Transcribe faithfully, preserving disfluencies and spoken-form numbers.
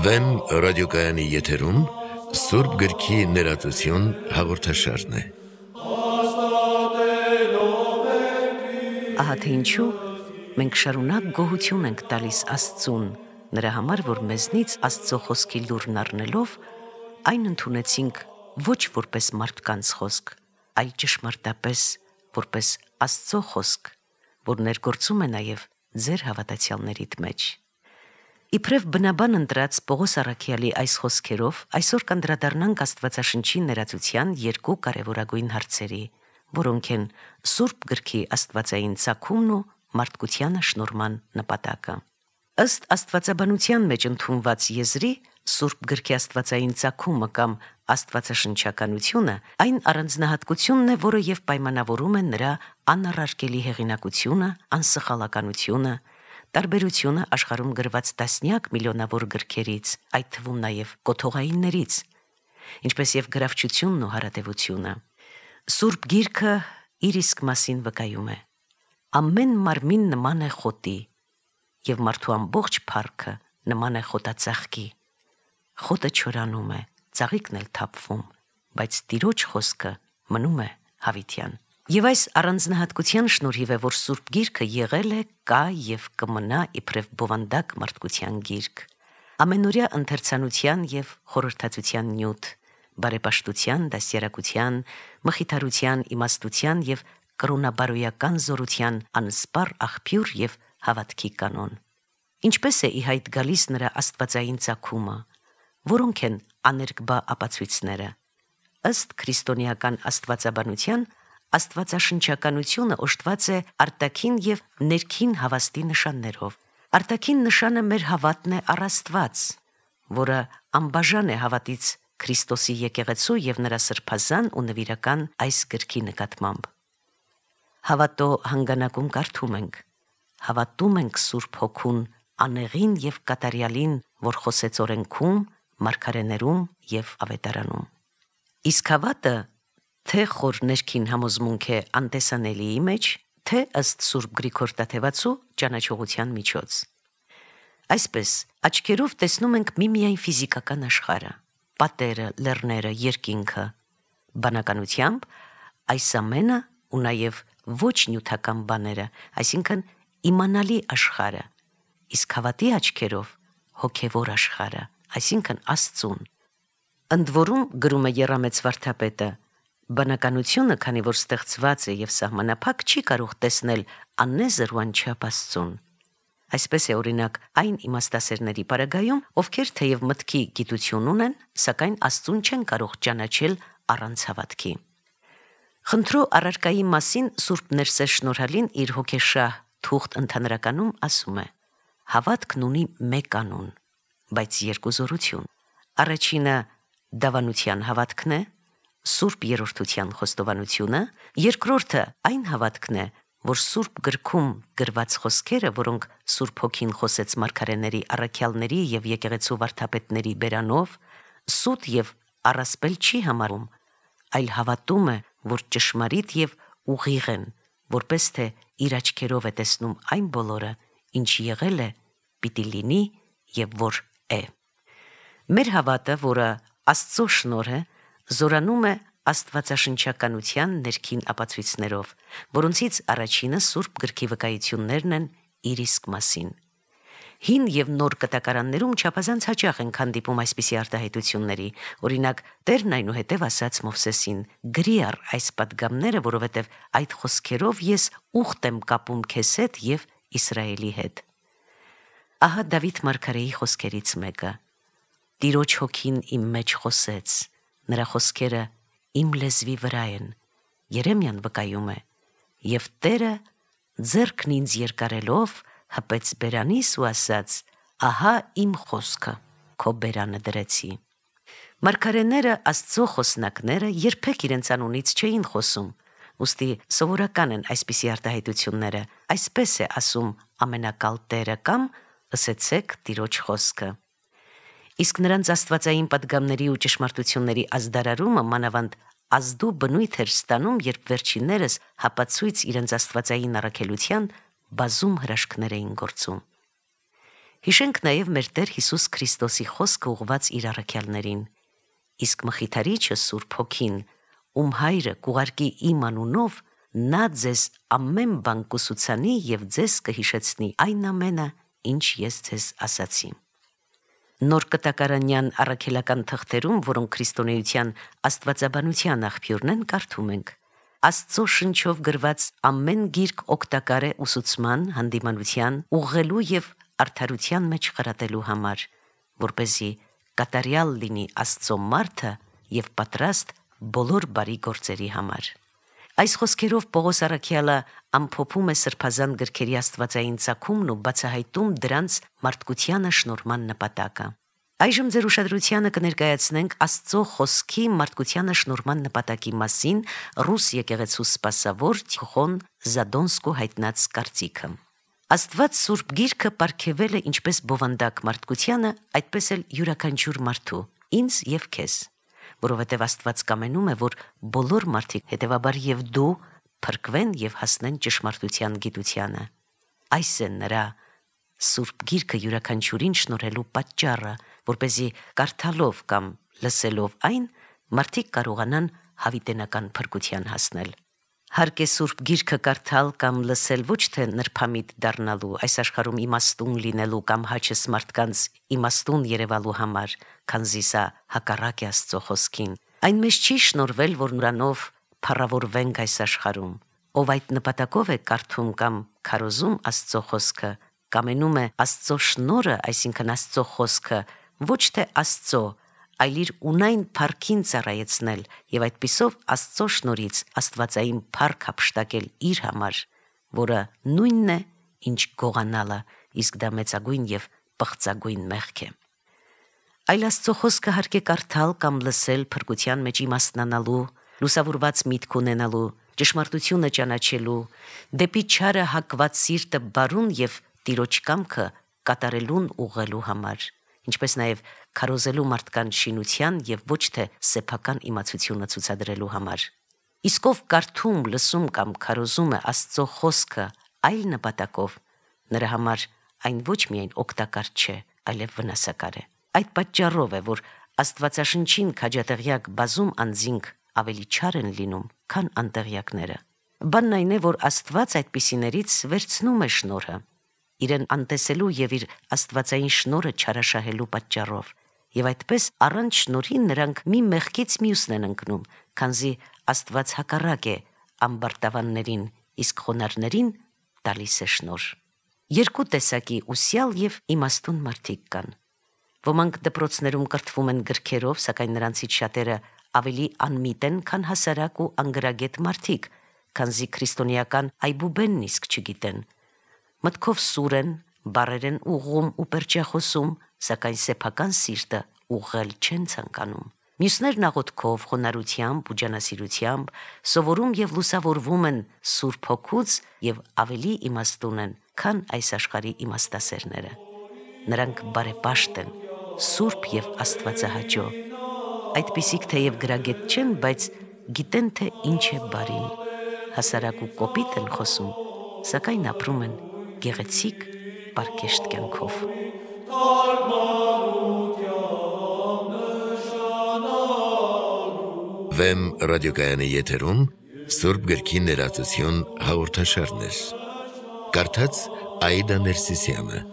Վեմ ռադիոկայանի եթերում Սուրբ գրքի ներածություն հաղորդաշարն է։ Ահա թե ինչու մենք շարունակ գոհություն ենք տալիս Աստծուն, նրա համար, որ մեզնից Աստծո խոսքի լուրն առնելով, այն ընդունեցինք ոչ որպես մարդկանց խոսք, այլ ճշմարտապես որպես Աստծո խոսք, որ ներգործում է նաև ձեր հավատացյալներիդ մեջ։ Իբրև բնաբան ընտրած Պողոս առաքյալի այս խոսքերով այսօր կանդրադառնանք Աստվածաշնչի ներածության երկու կարևորագույն հարցերի, որոնք են Սուրբ գրքի աստվածային ծագումն ու մարդկությանը շնորհման նպատակը։ Ըստ աստվածաբանության մեջ ընդունված եզրի, Սուրբ գրքի աստվածային ծագումը կամ աստվածաշնչականությունը այն առանձնահատկությունն է, որը եւ պայմանավորում է նրա անառարկելի հեղինակությունը, անսխալականությունը, տարբերությունը աշխարհում գրված տասնյակ միլիոնավոր գրքերից, այդ թվում նաև կոթողայիններից, ինչպես եւ գրավչությունն ու հարատևությունը։ Սուրբ գիրքը իր իսկ մասին վկայում է. ամեն մարմին նման է խոտի, եւ մարդու ամբողջ փառքը նման է խոտածաղկի։ Խոտը չորանում է, ծաղիկն էլ թափվում, բայց Տիրոջ խոսքը մնում է հավիտյան։ Եվ այս առանձնահատկության շնորհիվ է, որ Սուրբ գիրքը եղել է, կա եւ կմնա իբրև բովանդակ մարդկության գիրք, ամենօրյա ընթերցանության եւ խորհրդածության նյութ, բարեպաշտության, դաստիարակության, մխիթարության, իմաստության եւ կրոնաբարոյական զորության անսպառ աղբյուր եւ հավատքի կանոն։ Ինչպես է ի հայտ գալիս նրա աստվածային ծագումը, որոնք են աներկբա ապացույցները։ Ըստ քրիստոնեական աստվածաբանության, աստվածաշնչականությունը օժտված է արտաքին եւ ներքին հավաստի նշաններով։ Արտաքին նշանը մեր հավատն է առ Աստված, որը անբաժան է հավատից Քրիստոսի եկեղեցու եւ նրա սրբազան ու նվիրական այս գրքի նկատմամբ։ Հավատո հանգանակում կարդում ենք. հավատում ենք Սուրբ Հոգուն, անեղին եւ կատարյալին, որ խոսեց օրենքում, մարգարեներում եւ ավետարանում։ Իսկ հավատը թե խոր ներքին համոզմունք է անտեսանելիի մեջ, թե ըստ Սուրբ Գրիգոր Տաթևացու ճանաչողության միջոց։ Այսպես, աչքերով տեսնում ենք միմիայն ֆիզիկական աշխարհը, պատերը, լեռները, երկինքը, բանականությամբ այս ամենը ու նաև ոչ նյութական բաները, այսինքն իմանալի աշխարհը, իսկ հավատի աչքերով հոգևոր աշխարհը, այսինքն Աստծուն։ Ընդ որում, գրում է Եռամեծ վարդապետը, բանականությունը, քանի որ ստեղծված է եւ սահմանափակ, չի կարող տեսնել աննեզր ու անչափ Աստծուն։ Այսպես է օրինակ այն իմաստասերների պարագայում, ովքեր թեև մտքի գիտություն ունեն, սակայն Աստծուն չեն կարող ճանաչել առանց հավատքի։ Խնդրո առարկայի մասին Սուրբ Ներսես Շնորհալին իր հոգեշահ թուղթ ընդհանրականում ասում է. հավատքն ունի մեկ անուն, բայց երկու զորություն։ Առաջինը դավանության հավատքն է, Սուրբ երրորդության խոստովանությունը, երկրորդը այն հավատքն է, որ Սուրբ գրքում գրված խոսքերը, որոնք Սուրբ Հոգին խոսեց մարգարեների, առաքյալների եւ եկեղեցու վարդապետների բերանով, սուտ եւ առասպել չի համարում, այլ հավատում է, որ ճշմարիտ եւ ուղիղ են, որպես թե իր աչքերով է տեսնում այն բոլորը, ինչ եղել է, պիտի լինի եւ որ է։ Մեր հավատը, որը Աստծո շնորհ է, զորանում է աստվածաշնչականության ներքին ապացույցներով, որոնցից առաջինը Սուրբ գրքի վկայություններն են իր իսկ մասին։ Հին եւ նոր կտակարաններում չափազանց հաճախ են հանդիպում այսպիսի արտահայտությունների, օրինակ Տերն այնուհետև ասաց Մովսեսին. «Գրի առ այս պատգամները, որովհետև այդ խոսքերով ես ուխտ եմ կապում քեզ հետ եւ Իսրայելի հետ»։ Ահա Դավիթ մարգարեի խոսքերից մեկը. «Տիրոջ հոգին իմ մեջ խոսեց, նրա խոսքերը իմ լեզվի վրա են»։ Երեմիան վկայում է. «Եվ Տերը ձեռքն ինձ երկարելով հպեց բերանիս ու ասաց. ահա իմ խոսքը քո բերանը դրեցի»։ Մարգարեները, Աստծո խոսնակները, երբեք իրենց անունից չէին խոսում, ուստի սովորական են այսպիսի արտահայտությունները, այսպես է ասում ամենակալ Տերը կամ «Ըսեցեք Տիրոջ խոսքը»։ Իսկ նրանց աստվածային պատգամների ու ճշմարտությունների ազդարարումը մանավանդ ազդու բնույթ էր ստանում, երբ վերջիններս հապացույց իրենց աստվածային առաքելության բազում հրաշքներ էին գործում։ Հիշենք նաև մեր Տեր Հիսուս Քրիստոսի խոսքը ուղված իր առաքյալներին. իսկ Մխիթարիչը Սուրբ Հոգին, ում հայրը կուղարկի իմ անունով, նա ձեզ ամեն բան կուսուցանի եւ ձեզ կհիշեցնի այն ամենը, ինչ ես ձեզ ասացի։ Նոր կտակարանյան առաքելական թղթերում, որոնք քրիստոնեության աստվածաբանության աղբյուրն են, կարդում ենք. Աստծո շնչով գրված ամեն գիրք օգտակար է ուսուցման, հանդիմանության, ուղղելու եւ արդարության մեջ խրատելու համար, որպեսզի կատարյալ լինի Աստծո մարդը եւ պատրաստ բոլոր բարի գործերի համար։ Այս խոսքերով Պողոս առաքյալը ամփոփում է սրբազան գրքերի աստվածային ծագումն ու բացահայտում դրանց մարդկությանը շնորհման նպատակը։ Այժմ ձեր ուշադրությանը կներկայացնենք Աստծո խոսքի մարդկությանը շնորհման նպատակի մասին ռուս եկեղեցու սպասավոր Տիխոն Զադոնսկու հայտնած կարծիքը։ Աստված Սուրբ Գիրքը պարգևել է ինչպես բովանդակ մարդկությանը, այդպես էլ յուրաքանչյուր մարդու, ինձ եւ քեզ, որովհետև Աստված կամենում է, որ բոլոր մարդիկ, հետևաբար եւ դու, փրկվեն եւ հասնեն ճշմարտության գիտությանը։ Այս է նրա Սուրբ Գիրքը յուրաքանչյուրին շնորհելու պատճառը, որպեսզի կարդալով կամ լսելով այն, մարդիկ կարողանան հավիտենական փրկության հասնել։ Հարկ է Սուրբ Գիրքը կարդալ կամ լսել ոչ թե նրբամիտ դառնալու, այս աշխարհում իմաստուն լինելու կամ հաճես մարդկանց իմաստուն երևալու համար, քանզի սա հակառակ է Աստծո խոսքին։ Այն մեզ չի շնորհվել, որ նրանով փառավորվենք այս աշխարհում։ Ով այդ նպատակով է կարդում կամ քարոզում Աստծո խոսքը, կամենում է Աստծո շնորհը, այսինքն Աստծո խոսքը, ոչ թե Աստծո, այլ իր ունայն փառքին ծառայեցնել եւ այդպիսով Աստծո շնորհից աստվածային փառք հափշտակել իր համար, որը նույնն է, ինչ գողանալը, իսկ դա մեծագույն եւ պղծագույն մեղք է։ Այլ Աստծո խոսքը հարկ է կարդալ կամ լսել փրկության մեջ իմաստնանալու, լուսավորված միտք ունենալու, ճշմարտությունը ճանաչելու, դեպի չարը հակված սիրտը բարուն եւ Տիրոջ կամքը կատարելուն ուղղելու համար, ինչպես նաև քարոզելու մարդկանց շինության եւ ոչ թե սեփական իմացությունը ցուցադրելու համար։ Իսկ ով կարդում, լսում կամ քարոզում է Աստծո խոսքը այլ նպատակով, նրա համար այն ոչ միայն օգտակար չէ, այլև վնասակար է։ Այդ պատճառով է, որ Աստվածաշնչին քաջատեղյակ բազում անձինք ավելի չար են լինում, քան անտեղյակները։ Բանն այն է, որ Աստված այդպիսիներից վերցնում է շնորհը, իրեն անտեսելու եւ իր աստվածային շնորհը չարաշահելու պատճառով, եւ այդպես առանց շնորհի նրանք մի մեղքից մյուսն են ընկնում, քանզի Աստված հակառակ է ամբարտավաններին, իսկ խոնարհներին տալիս է շնորհ։ Երկու տեսակի ուսյալ եւ իմաստուն մարդիկ կան։ Ոմանք դպրոցներում կրթվում են գրքերով, սակայն նրանցից շատերը ավելի անմիտ են, քան հասարակ ու անգրագետ մարդիկ, քանզի քրիստոնեական այբուբենն իսկ չգիտեն։ Մտքով սուր են, բառեր են ուղղում ու պերճախոսում, սակայն սեփական սիրտը ուղղել չեն ցանկանում։ Մյուսներն աղոթքով, խոնարհությամբ ու ջանասիրությամբ սովորում եւ լուսավորվում են Սուրբ Հոգուց եւ ավելի իմաստուն են, քան այս աշխարհի իմաստասերները։ Նրանք բարեպաշտ են, սուրբ եւ աստվածահաճո։ Այդպիսիք թեև գրագետ չեն, բայց գիտեն, թե ինչ է բարին։ Հասարակ ու կոպիտ են խոսում, սակայն ապրում են գեղեցիկ, պարկեշտ կյանքով։ Վեմ ռադիոկայանի եթերում Սուրբ Գրքի ներածություն հաղորդաշարներ։ Կարդաց Աիդա Ներսիսյանը։